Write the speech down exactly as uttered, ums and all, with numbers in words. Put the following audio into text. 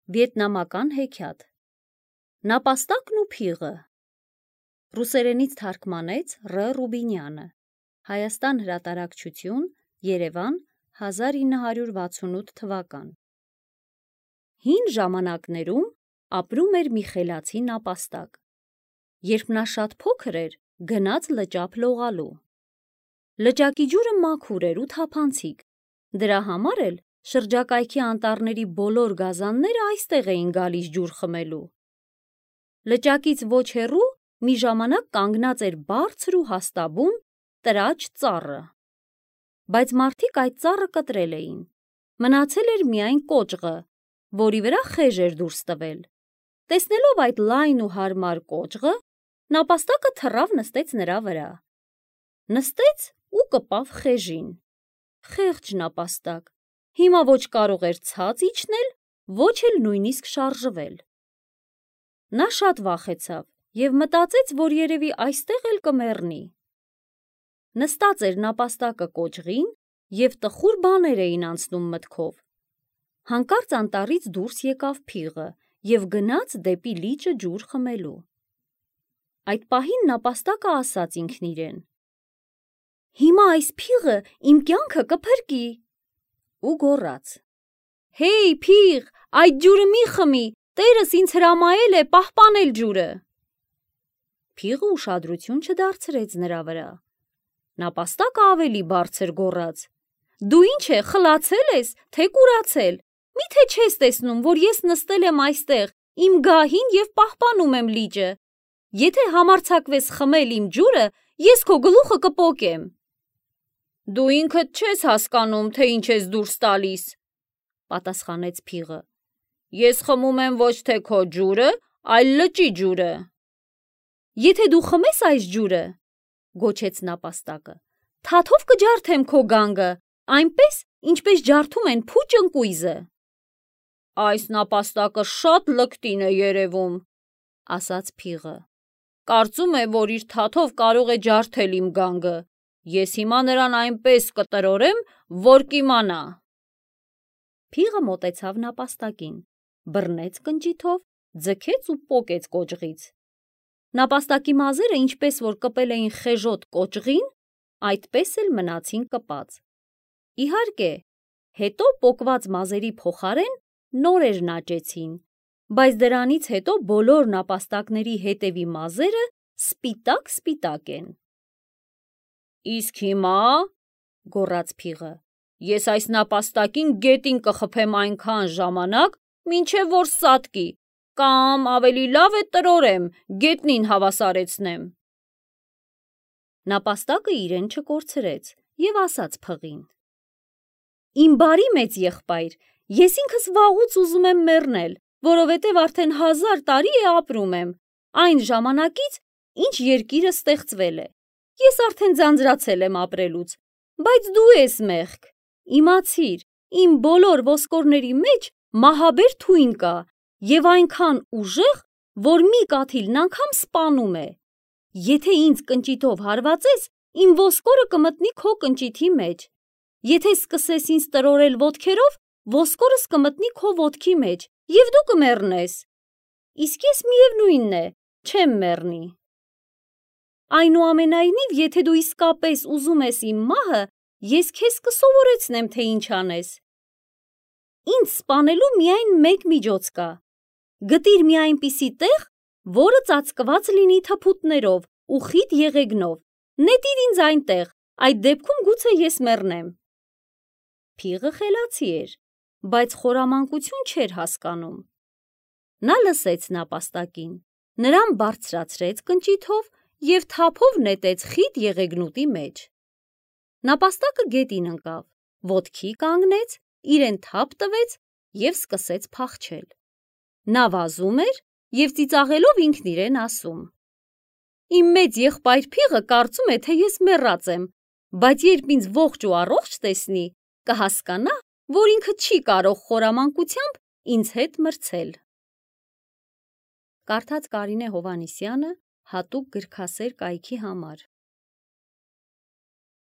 Վիետնամական հեքիաթ Նապաստակն ու փիղը Ռուսերենից թարգմանեց Ռ. Ռուբինյանը Հայաստան հրատարակչություն Երևան հազար ինը հարյուր վաթսունութ թվական Հին ժամանակներում ապրում էր մի խելացի նապաստակ Երբ նա շատ փոքր էր գնաց լճափ լողալու Լճակի ջուրը մաքուր էր ու թափանցիկ Դրա համար էլ շրջակայքի անտառների բոլոր գազանները այստեղ էին գալիս ջուր խմելու Լճակից ոչ հեռու մի ժամանակ կանգնած էր բարձր ու հաստաբուն տրաչ ծառը Բայց մարդիկ այդ ծառը կտրել էին Մնացել էր միայն կոճղը, որի վրա խեժ էր դուրս տվել Տեսնելով այդ լայն ու հարմար կոճղը, նապաստակը թռավ նստեց նրա վրա Նստեց ու կպավ խեժին Խեղճ նապաստակ, հիմա ոչ կարող էր ցած իջնել, ոչ էլ նույնիսկ շարժվել Նա շատ վախեցավ և մտածեց, որ երևի այստեղ էլ կմեռնի Նստած էր նապաստակը կոճղին և տխուր բաներ էին անցնում մտքով Հանկարծ անտառից դուրս եկավ փիղը և գնաց դեպի լիճը ջուր խմելու Այդ պահին նապաստակը ասաց ինքն իրեն Հիմա այս փիղը իմ կյանքը կփրկի ու գոռաց Հեյ փիղ, այդ ջուրը մի խմի, տերս ինձ հրամայել է պահպանել ջուրը Փիղը ուշադրություն չդարձրեց նրա վրա Նապաստակը ավելի բարձր գոռաց Դու ինչ է, խլացե՞լ ես, թե կուրացել, միթե չես տեսնում, որ ես նստել եմ այստեղ իմ գահին և պահպանում եմ լիճը Եթե համարձակվես խմել իմ ջուրը, ես քո գլուխը կպոկեմ Դու ինքդ չես հասկանում, թե ինչ ես դուրս տալիս, պատասխանեց փիղը Ես խմում եմ ոչ թե քո ջուրը, այլ լճի ջուրը Եթե դու խմես այս ջուրը, գոչեց նապաստակը, թաթով կջարդեմ քո գանգը, այնպես, ինչպես ջարդում են փուճ ընկույզը Այս նապաստակը շատ լկտին է երևում, ասաց փիղը Կարծում է, որ իր թաթով կարող է ջարդել իմ գանգը Ես հիմա նրան այնպես կտրորեմ, որ կիմանա Փիղը մոտեցավ նապաստակին, բռնեց կնճիթով, ձգեց ու պոկեց կոճղից Նապաստակի մազերը ինչպես որ կպել էին խեժոտ կոճղին, այդպես էլ մնացին կպած Իհարկե, հետո պոկված մազերի փոխարեն նորեր նաճեցին, բայց դրանից հետո բոլոր նապաստակների հետևի մազերը սպիտակ-սպիտակ են Իսկ հիմա, գոռաց փիղը, ես այս նապաստակին գետին կխփեմ այնքան ժամանակ, մինչև որ սատկի, կամ ավելի լավ է տրորեմ, գետնին հավասարեցնեմ Նապաստակը իրեն չկորցրեց և ասաց փղին Իմ բարի մեծ եղբայր, ես ինքս վաղուց ուզում եմ մեռնել, որովհետև արդեն հազար տարի է ապրում եմ, այն ժամանակից, ինչ երկիրը ստեղծվել է Ես արդեն ձանձրացել եմ ապրելուց, բայց դու ես մեղք, իմացիր, իմ բոլոր ոսկորների մեջ մահաբեր թույն կա և այնքան ուժեղ, որ մի կաթիլն անգամ սպանում է Եթե ինձ կնճիթով հարվածես, իմ ոսկորը կմտնի քո կնճիթի մեջ Եթե սկսես ինձ տրորել ոտքերով, ոսկորս կմտնի քո ոտքի մեջ և դու կմեռնես Իսկ ես միևնույնն է, չեմ մեռնի Այնուամենայնիվ, եթե դու իսկապես ուզում ես իմ մահը, ես քեզ կսովորեցնեմ, թե ինչ անես Ինձ սպանելու միայն մեկ միջոց կա Գտիր մի այնպիսի տեղ, որը ծածկված լինի թփուտներով ու խիտ եղեգնով Նետիր ինձ այնտեղ, այդ դեպքում գուցե ես մեռնեմ Փիղը խելացի էր, բայց խորամանկություն չէր հասկանում Նա լսեց նապաստակին, նրան բարձրացրեց կնճիթով և թափով նետեց խիտ եղեգնուտի մեջ Նապաստակը գետին ընկավ, ոտքի կանգնեց, իրեն թափ տվեց և սկսեց փախչել Նա վազում էր և ծիծաղելով ինքն իրեն ասում Իմ մեծ եղբայր փիղը կարծում է, թե ես մեռած եմ, բայց երբ ինձ ողջ ու առողջ տեսնի, կհասկանա, որ ինքը չի կարող խորամանկությամբ ինձ հետ մրցել Կարդաց Կարինե Հովհաննիսյանը հատուկ գրքասեր կայքի համար